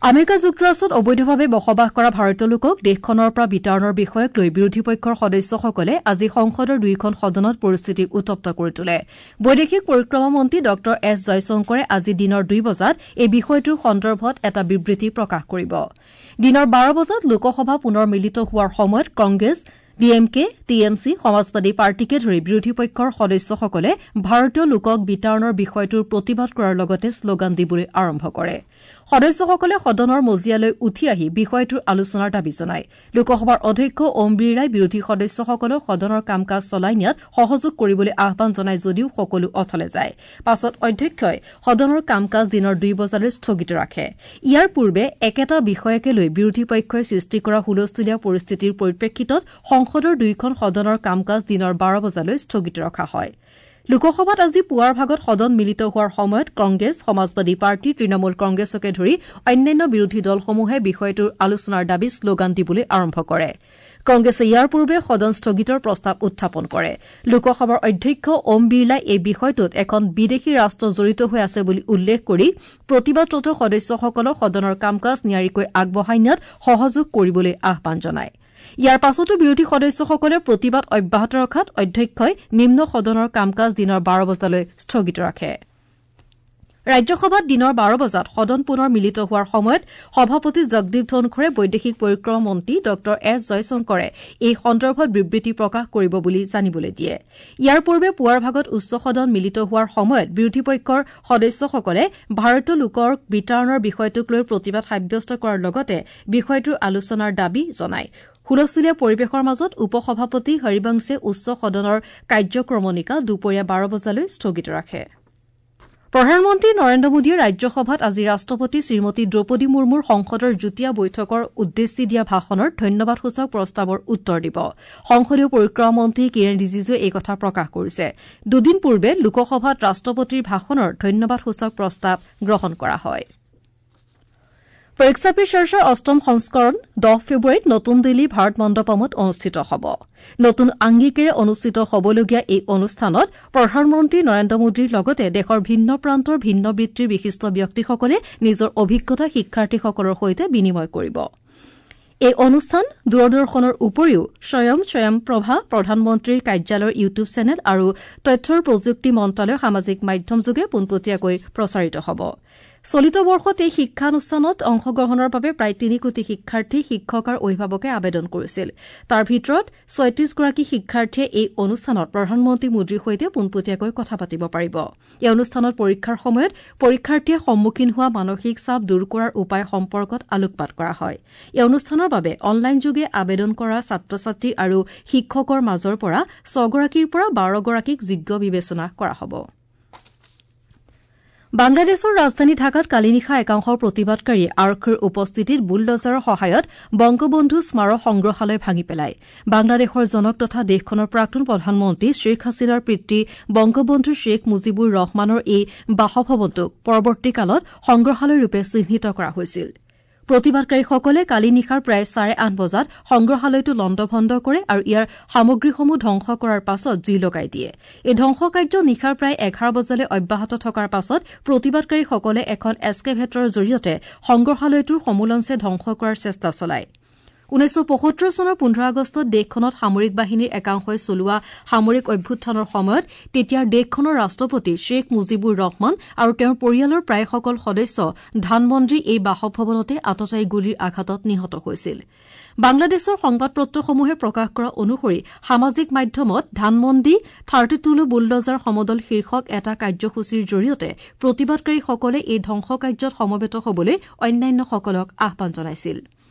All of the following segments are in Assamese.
আমেৰিকা যুক্তৰাষ্ট্ৰত অবৈধভাৱে বসবাস কৰা ভাৰতীয় লোকক দেশখনৰ পৰা বিতাড়নৰ বিষয়ক লৈ বিৰোধী পক্ষৰ সদস্যসকলে আজি সংসদৰ দুয়োখন সদনত পৰিস্থিতি উত্তপ্ত কৰি তোলে। বৈদেশিক পৰিক্ৰমা মন্ত্ৰী ডঃ এছ জয়শংকৰে আজি দিনৰ ২ বজাত এই বিষয়টোৰ সন্দৰ্ভত এটা বিবৃতি প্ৰকাশ কৰিব। দিনৰ ১২ বজাত লোকসভা পুনৰ মিলিত হোৱাৰ সময়ত Congress, D M K, T M C, Samajwadi পাৰ্টীকে ধৰি বিৰোধী পক্ষৰ সদস্যসকলে ভাৰতীয় লোকক বিতাড়নৰ বিষয়টোৰ প্ৰতিবাদ কৰাৰ লগতে শ্লোগান দিবলৈ আৰম্ভ কৰে। সদস্যসকলে সদনৰ মজিয়ালৈ উঠি আহি বিষয়টোৰ আলোচনাৰ দাবী জনায়। লোকসভাৰ অধ্যক্ষ ওম বিৰলাই বিৰোধী সদস্যসকলক সদনৰ কাম কাজ চলাই নিয়াত সহযোগ কৰিবলৈ আহ্বান জনায় যদিও সকলো অথলে যায়। পাছত অধ্যক্ষই সদনৰ কাম কাজ দিনৰ ২ বজালৈ স্থগিত ৰাখে। ইয়াৰ পূৰ্বে একেটা বিষয়কে লৈ বিৰোধী পক্ষই সৃষ্টি কৰা হুলস্থুলীয়া পৰিস্থিতিৰ পৰিপ্ৰেক্ষিতত সংসদৰ দুয়োখন সদনৰ কাম কাজ দিনৰ ১২ বজালৈ স্থগিত ৰখা হয়। লোকসভাত আজি পুৱাৰ ভাগত সদন মিলিত হোৱাৰ সময়ত কংগ্ৰেছ, সমাজবাদী পাৰ্টী, তৃণমূল কংগ্ৰেছকে ধৰি অন্যান্য বিৰোধী দলসমূহে বিষয়টোৰ আলোচনাৰ দাবীত শ্লোগান দিবলৈ আৰম্ভ কৰে। কংগ্ৰেছে ইয়াৰ পূৰ্বে সদন স্থগিতৰ প্ৰস্তাৱ উত্থাপন কৰে। লোকসভাৰ অধ্যক্ষ ওম বিৰলাই এই বিষয়টোত এখন বিদেশী ৰাষ্ট্ৰ জড়িত হৈ আছে বুলি উল্লেখ কৰি প্ৰতিবাদৰত সদস্যসকলক সদনৰ কাম কাজ নিয়াৰিকৈ আগবঢ়াই নিয়াত সহযোগ কৰিবলৈ আহ্বান জনায়। ইয়াৰ পাছতো বিৰোধী সদস্যসকলে প্ৰতিবাদ অব্যাহত ৰখাত অধ্যক্ষই নিম্ন সদনৰ কাম কাজ দিনৰ ১২ বজালৈ স্থগিত ৰাখে। ৰাজ্যসভাত দিনৰ ১২ বজাত সদন পুনৰ মিলিত হোৱাৰ সময়ত সভাপতি জগদীপ ধনখৰে বৈদেশিক পৰিক্ৰমা মন্ত্ৰী ডঃ এছ জয়শংকৰে এই সন্দৰ্ভত বিবৃতি প্ৰকাশ কৰিব বুলি জানিবলৈ দিয়ে। ইয়াৰ পূৰ্বে পুৱাৰ ভাগত উচ্চ সদন মিলিত হোৱাৰ সময়ত বিৰোধী পক্ষৰ সদস্যসকলে ভাৰতীয় লোকৰ বিতাড়নৰ বিষয়টোক লৈ প্ৰতিবাদ সাব্যস্ত কৰাৰ লগতে বিষয়টোৰ আলোচনাৰ দাবী জনায়। হুলস্থুলীয়া পৰিৱেশৰ মাজত উপ-সভাপতি হৰিবংশে উচ্চ সদনৰ কাৰ্যক্ৰমণিকা দুপৰীয়া ১২ বজালৈ স্থগিত ৰাখে। প্ৰধানমন্ত্ৰী নৰেন্দ্ৰ মোদীয়ে ৰাজ্যসভাত আজি ৰাষ্ট্ৰপতি শ্ৰীমতী দ্ৰৌপদী মুৰ্মুৰ সংসদৰ যুটীয়া বৈঠকৰ উদ্দেশ্যি দিয়া ভাষণৰ ধন্যবাদসূচক প্ৰস্তাৱৰ উত্তৰ দিব। সংসদীয় পৰিক্ৰমা মন্ত্ৰী কিৰেণ ৰিজিজুৱে এই কথা প্ৰকাশ কৰিছে। দুদিন পূৰ্বে লোকসভাত ৰাষ্ট্ৰপতিৰ ভাষণৰ ধন্যবাদসূচক প্ৰস্তাৱ গ্ৰহণ কৰা হয়। পৰীক্ষা পে চৰ্চাৰ অষ্টম সংস্কৰণ ১০ ফেব্ৰুৱাৰীত নতুন দিল্লীৰ ভাৰত মণ্ডপমত অনুষ্ঠিত হ'ব। নতুন আংগিকেৰে অনুষ্ঠিত হ'বলগীয়া এই অনুষ্ঠানত প্ৰধানমন্ত্ৰী নৰেন্দ্ৰ মোদীৰ লগতে দেশৰ ভিন্ন প্ৰান্তৰ ভিন্ন বৃত্তিৰ বিশিষ্ট ব্যক্তিসকলে নিজৰ অভিজ্ঞতা শিক্ষাৰ্থীসকলৰ সৈতে বিনিময় কৰিব। এই অনুষ্ঠান দূৰদৰ্শনৰ উপৰিও স্বয়ং স্বয়ংপ্ৰভা, প্ৰধানমন্ত্ৰীৰ কাৰ্যালয়ৰ ইউটিউব চেনেল আৰু তথ্য প্ৰযুক্তি মন্ত্ৰালয়ৰ সামাজিক মাধ্যমযোগে পোনপটীয়াকৈ প্ৰচাৰিত হ'ব। চলিত বৰ্ষত এই শিক্ষানুষ্ঠানত অংশগ্ৰহণৰ বাবে প্ৰায় ৩ কোটি শিক্ষাৰ্থী, শিক্ষক আৰু অভিভাৱকে আবেদন কৰিছিল। তাৰ ভিতৰত ৩৬ গৰাকী শিক্ষাৰ্থীয়ে এই অনুষ্ঠানত প্ৰধানমন্ত্ৰী মোদীৰ সৈতে পোনপটীয়াকৈ কথা পাতিব পাৰিব। এই অনুষ্ঠানত পৰীক্ষাৰ সময়ত পৰীক্ষাৰ্থীয়ে সন্মুখীন হোৱা মানসিক চাপ দূৰ কৰাৰ উপায় সম্পৰ্কত আলোকপাত কৰা হয়। এই অনুষ্ঠানৰ বাবে অনলাইনযোগে আবেদন কৰা ছাত্ৰ-ছাত্ৰী আৰু শিক্ষকৰ মাজৰ পৰা ৬ গৰাকীৰ পৰা ১২ গৰাকীক যোগ্য বিবেচনা কৰা হ'ব। বাংলাদেশৰ ৰাজধানী ঢাকাত কালি নিশা একাংশ প্ৰতিবাদকাৰীয়ে আৰক্ষীৰ উপস্থিতিত বুলডজাৰৰ সহায়ত বংগবন্ধু স্মাৰক সংগ্ৰহালয় ভাঙি পেলায়। বাংলাদেশৰ জনক তথা দেশখনৰ প্ৰাক্তন প্ৰধানমন্ত্ৰী শ্বেখ হাছিনাৰ পিতৃ বংগবন্ধু শ্বেখ মুজিবুৰ ৰহমানৰ এই বাসভৱনটোক পৰৱৰ্তী কালত সংগ্ৰহালয়ৰূপে চিহ্নিত কৰা হৈছিল। প্ৰতিবাদকাৰীসকলে কালি নিশাৰ প্ৰায় ৮:৩০ বজাত সংগ্ৰহালয়টো লণ্ডভণ্ড কৰে আৰু ইয়াৰ সামগ্ৰীসমূহ ধ্বংস কৰাৰ পাছত জুই লগাই দিয়ে। এই ধ্বংসকাৰ্য নিশাৰ প্ৰায় ১১ বজালৈ অব্যাহত থকাৰ পাছত প্ৰতিবাদকাৰীসকলে এখন এস্কেভেটৰৰ জৰিয়তে সংগ্ৰহালয়টোৰ সমূলঞ্চে ধ্বংস কৰাৰ চেষ্টা চলায়। ১৯৭৫ চনৰ ১৫ আগষ্টত দেশখনত সামৰিক বাহিনীৰ একাংশই চলোৱা সামৰিক অভ্যুত্থানৰ সময়ত তেতিয়াৰ দেশখনৰ ৰাষ্ট্ৰপতি শ্বেখ মুজিবুৰ ৰহমান আৰু তেওঁৰ পৰিয়ালৰ প্ৰায়সকল সদস্য ধানমন্দিৰ এই বাসভৱনতে আততায়ী গুলীৰ আঘাতত নিহত হৈছিল। বাংলাদেশৰ সংবাদপত্ৰসমূহে প্ৰকাশ কৰা অনুসৰি সামাজিক মাধ্যমত ধানমন্দি 32 বুলডজাৰ সমদল শীৰ্ষক এটা কাৰ্যসূচীৰ জৰিয়তে প্ৰতিবাদকাৰীসকলে এই ধ্বংসকাৰ্যত সমবেত হ'বলৈ অন্যান্যসকলক আহ্বান জনাইছিল।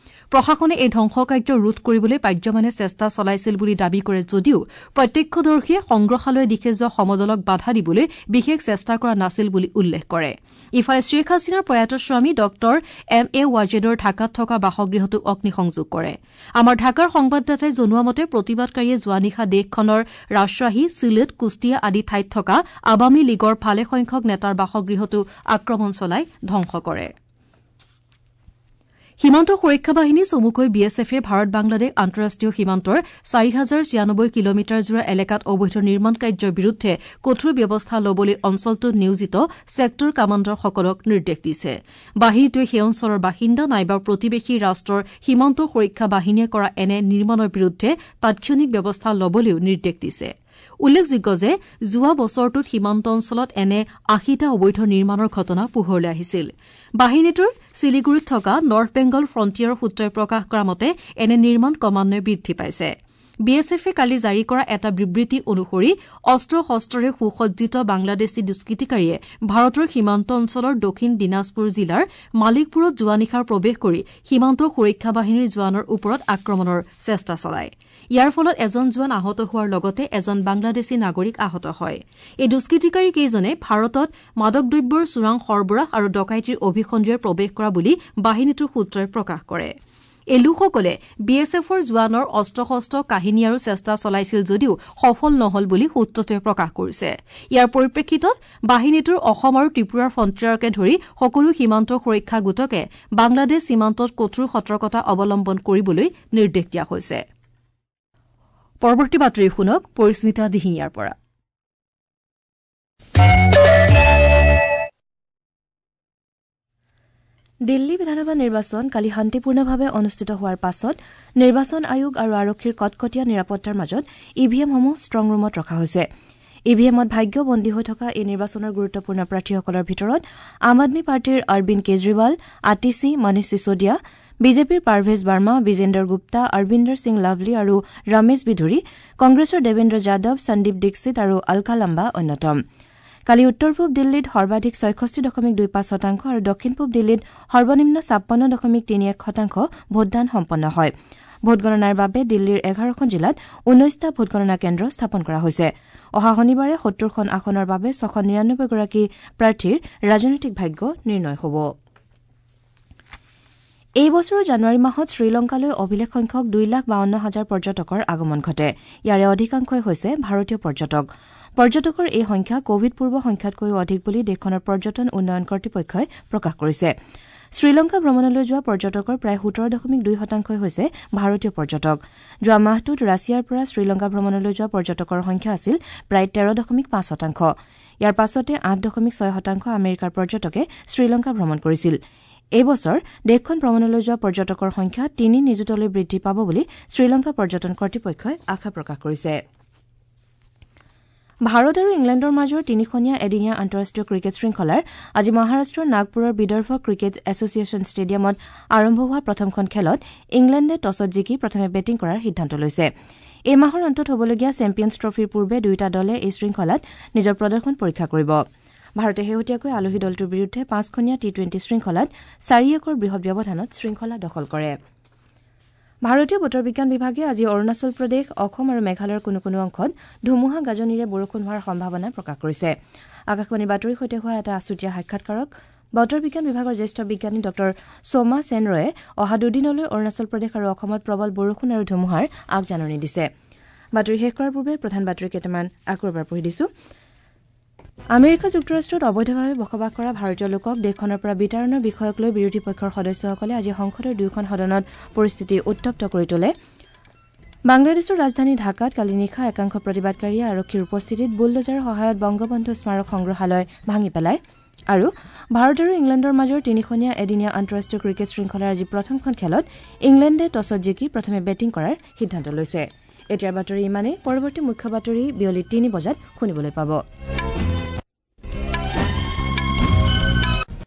প্ৰশাসনে এই ধ্বংসকাৰ্য ৰোধ কৰিবলৈ পাৰ্যমানে চেষ্টা চলাইছিল বুলি দাবী কৰে যদিও প্ৰত্যক্ষদৰ্শীয়ে সংগ্ৰহালয়ৰ দিশে যোৱা সমদলক বাধা দিবলৈ বিশেষ চেষ্টা কৰা নাছিল বুলি উল্লেখ কৰে। ইফালে শ্বেখ হাছিনাৰ প্ৰয়াত স্বামী ডঃ এম এ ৱাজেদৰ ঢাকাত থকা বাসগৃহটো অগ্নিসংযোগ কৰে। আমাৰ ঢাকাৰ সংবাদদাতাই জনোৱা মতে প্ৰতিবাদকাৰীয়ে যোৱা নিশা দেশখনৰ ৰাজশ্বাহী, চিলেট, কুষ্টিয়া আদি ঠাইত থকা আৱামী লীগৰ ভালেসংখ্যক নেতাৰ বাসগৃহতো আক্ৰমণ চলাই ধ্বংস কৰে। সীমান্ত সুৰক্ষা বাহিনী চমুকৈ বি এছ এফে ভাৰত বাংলাদেশ আন্তঃৰাষ্ট্ৰীয় সীমান্তৰ ৪০৯৬ কিলোমিটাৰ জোৰা এলেকাত অবৈধ নিৰ্মাণ কাৰ্যৰ বিৰুদ্ধে কঠোৰ ব্যৱস্থা ল'বলৈ অঞ্চলটোত নিয়োজিত ছেক্টৰ কামাণ্ডাৰসকলক নিৰ্দেশ দিছে। বাহিনীটোৱে সেই অঞ্চলৰ বাসিন্দা নাইবা প্ৰতিবেশী ৰাষ্ট্ৰৰ সীমান্ত সুৰক্ষা বাহিনীয়ে কৰা এনে নিৰ্মাণৰ বিৰুদ্ধে তাৎক্ষণিক ব্যৱস্থা ল'বলৈও নিৰ্দেশ দিছে। উল্লেখযোগ্য যে যোৱা বছৰটোত সীমান্ত অঞ্চলত এনে ৮০টা অবৈধ নিৰ্মাণৰ ঘটনা পোহৰলৈ আহিছিল। বাহিনীটোৰ শিলিগুৰিত থকা নৰ্থ বেংগল ফ্ৰণ্টিয়াৰৰ সূত্ৰই প্ৰকাশ কৰা মতে এনে নিৰ্মাণ ক্ৰমান্বয়ে বৃদ্ধি পাইছে। বি এছ এফে কালি জাৰি কৰা এটা বিবৃতি অনুসৰি অস্ত্ৰ শস্ত্ৰৰে সুসজ্জিত বাংলাদেশী দুষ্কৃতিকাৰীয়ে ভাৰতৰ সীমান্ত অঞ্চলৰ দক্ষিণ দিনাজপুৰ জিলাৰ মালিকপুৰত যোৱা নিশা প্ৰৱেশ কৰি সীমান্ত সুৰক্ষা বাহিনীৰ জোৱানৰ ওপৰত আক্ৰমণৰ চেষ্টা চলায়। ইয়াৰ ফলত এজন জোৱান আহত হোৱাৰ লগতে এজন বাংলাদেশী নাগৰিক আহত হয়। এই দুষ্কৃতিকাৰী কেইজনে ভাৰতত মাদক দ্ৰব্যৰ চোৰাং সৰবৰাহ আৰু ডকাইতিৰ অভিসন্ধিৰে প্ৰৱেশ কৰা বুলি বাহিনীটোৰ সূত্ৰই প্ৰকাশ কৰে। এই লোকসকলে বি এছ এফৰ জোৱানৰ অস্ত্ৰ শস্ত্ৰ কাঢ়ি নিয়াৰো চেষ্টা চলাইছিল যদিও সফল নহল বুলি সূত্ৰটোৱে প্ৰকাশ কৰিছে। ইয়াৰ পৰিপ্ৰেক্ষিতত বাহিনীটোৰ অসম আৰু ত্ৰিপুৰাৰ ফ্ৰণ্টিয়াৰকে ধৰি সকলো সীমান্ত সুৰক্ষা গোটকে বাংলাদেশ সীমান্তত কঠোৰ সতৰ্কতা অৱলম্বন কৰিবলৈ নিৰ্দেশ দিয়া হৈছে। পৰৱৰ্তী বাতৰি শুনক পৰিস্মিতা দিহিঙীয়াৰ পৰা। দিল্লী বিধানসভা নিৰ্বাচন কালি শান্তিপূৰ্ণভাৱে অনুষ্ঠিত হোৱাৰ পাছত নিৰ্বাচন আয়োগ আৰু আৰক্ষীৰ কটকটীয়া নিৰাপত্তাৰ মাজত ই ভি এমসমূহ ষ্ট্ৰং ৰুমত ৰখা হৈছে। ই ভি এমত ভাগ্য বন্দী হৈ থকা এই নিৰ্বাচনৰ গুৰুত্বপূৰ্ণ প্ৰাৰ্থীসকলৰ ভিতৰত আম আদমী পাৰ্টীৰ অৰবিন্দ কেজৰিৱাল, আতিশী, মনীষ চিছোদিয়া, বিজেপিৰ পাৰভেজ বাৰ্মা, বিজেন্দৰ গুপ্তা, অৰবিন্দৰ সিং লাভলী আৰু ৰমেশ বিধুৰী, কংগ্ৰেছৰ দেৱেন্দ্ৰ যাদৱ, সন্দীপ দীক্ষিত আৰু অলকা লাম্বা অন্যতম। কালি উত্তৰ পূব দিল্লীত সৰ্বাধিক ৬৬.২৫ শতাংশ আৰু দক্ষিণ পূব দিল্লীত সৰ্বনিম্ন ৫৬.৩১ শতাংশ ভোটদান সম্পন্ন হয়। ভোটগণনাৰ বাবে দিল্লীৰ ১১খন জিলাত ১৯টা ভোটগণনা কেন্দ্ৰ স্থাপন কৰা হৈছে। অহা শনিবাৰে ৭০খন আসনৰ বাবে ৬৯৯গৰাকী প্ৰাৰ্থীৰ ৰাজনৈতিক ভাগ্য নিৰ্ণয় হ'ব। এই বছৰৰ জানুৱাৰী মাহত শ্ৰীলংকালৈ অভিলেখ সংখ্যক ২,৫২,০০০ পৰ্যটকৰ আগমন ঘটে। ইয়াৰে অধিকাংশই হৈছে ভাৰতীয় পৰ্যটক। পৰ্যটকৰ এই সংখ্যা কোভিড পূৰ্ব সংখ্যাতকৈও অধিক বুলি দেশখনৰ পৰ্যটন উন্নয়ন কৰ্তৃপক্ষই প্ৰকাশ কৰিছে। শ্ৰীলংকা ভ্ৰমণলৈ যোৱা পৰ্যটকৰ প্ৰায় ১৭.২ শতাংশই হৈছে ভাৰতীয় পৰ্যটক। যোৱা মাহটোত ৰাছিয়াৰ পৰা শ্ৰীলংকা ভ্ৰমণলৈ যোৱা পৰ্যটকৰ সংখ্যা আছিল প্ৰায় ১৩.৫ শতাংশ। ইয়াৰ পাছতে ৮.৬ শতাংশ আমেৰিকাৰ পৰ্যটকে শ্ৰীলংকা ভ্ৰমণ কৰিছিল। এই বছৰ দেশখন ভ্ৰমণলৈ যোৱা পৰ্যটকৰ সংখ্যা ৩ নিযুতলৈ বৃদ্ধি পাব বুলি শ্ৰীলংকা পৰ্যটন কৰ্তৃপক্ষই আশা প্ৰকাশ কৰিছে। ভাৰত আৰু ইংলেণ্ডৰ মাজৰ তিনিখনীয়া এদিনীয়া আন্তঃৰাষ্ট্ৰীয় ক্ৰিকেট শৃংখলাৰ আজি মহাৰাষ্ট্ৰৰ নাগপুৰৰ বিদৰ্ভ ক্ৰিকেট এছ'চিয়েশ্যন ষ্টেডিয়ামত আৰম্ভ হোৱা প্ৰথমখন খেলত ইংলেণ্ডে টছত জিকি প্ৰথমে বেটিং কৰাৰ সিদ্ধান্ত লৈছে। এই মাহৰ অন্তত হ'বলগীয়া চেম্পিয়নছ ট্ৰফীৰ পূৰ্বে দুয়োটা দলে এই শৃংখলাত নিজৰ প্ৰদৰ্শন পৰীক্ষা কৰিব। ভাৰতে শেহতীয়াকৈ আলহী দলটোৰ বিৰুদ্ধে ৫খনীয়া টি-টুৱেণ্টি শৃংখলাত ৪-১ৰ বৃহৎ ব্যৱধানত শৃংখলা দখল কৰে। ভাৰতীয় বতৰ বিজ্ঞান বিভাগে আজি অৰুণাচল প্ৰদেশ, অসম আৰু মেঘালয়ৰ কোনো কোনো অংশত ধুমুহা গাজনিৰে বৰষুণ হোৱাৰ সম্ভাৱনা প্ৰকাশ কৰিছে। আকাশবাণীৰ বাতৰিৰ সৈতে হোৱা এটা আছুতীয়া সাক্ষাৎকাৰত বতৰ বিজ্ঞান বিভাগৰ জ্যেষ্ঠ বিজ্ঞানী ডঃ সোমা সেন ৰয়ে অহা দুদিনলৈ অৰুণাচল প্ৰদেশ আৰু অসমত প্ৰবল বৰষুণ আৰু ধুমুহাৰ আগজাননী দিছে। বাতৰি শেষ কৰাৰ পূৰ্বে প্ৰধান বাতৰি কেইটামান আকৌ এবাৰ পঢ়ি দিছো। আমেৰিকা যুক্তৰাষ্ট্ৰত অবৈধভাৱে বসবাস কৰা ভাৰতীয় লোকক দেশখনৰ পৰা বিতাড়নৰ বিষয়ক লৈ বিৰোধী পক্ষৰ সদস্যসকলে আজি সংসদৰ দুয়োখন সদনত পৰিস্থিতি উত্তপ্ত কৰি তোলে। বাংলাদেশৰ ৰাজধানী ঢাকাত কালি নিশা একাংশ প্ৰতিবাদকাৰীয়ে আৰক্ষীৰ উপস্থিতিত বুলডোজাৰৰ সহায়ত বংগবন্ধু স্মাৰক সংগ্ৰহালয় ভাঙি পেলায়। আৰু ভাৰত আৰু ইংলেণ্ডৰ মাজৰ তিনিখনীয়া এদিনীয়া আন্তঃৰাষ্ট্ৰীয় ক্ৰিকেট শৃংখলাৰ আজি প্ৰথমখন খেলত ইংলেণ্ডে টছত জিকি প্ৰথমে বেটিং কৰাৰ সিদ্ধান্ত লৈছে। এতিয়াৰ বাতৰি ইমানেই। পৰৱৰ্তী মুখ্য বাতৰি বিয়লি ৩ বজাত শুনিবলৈ পাব।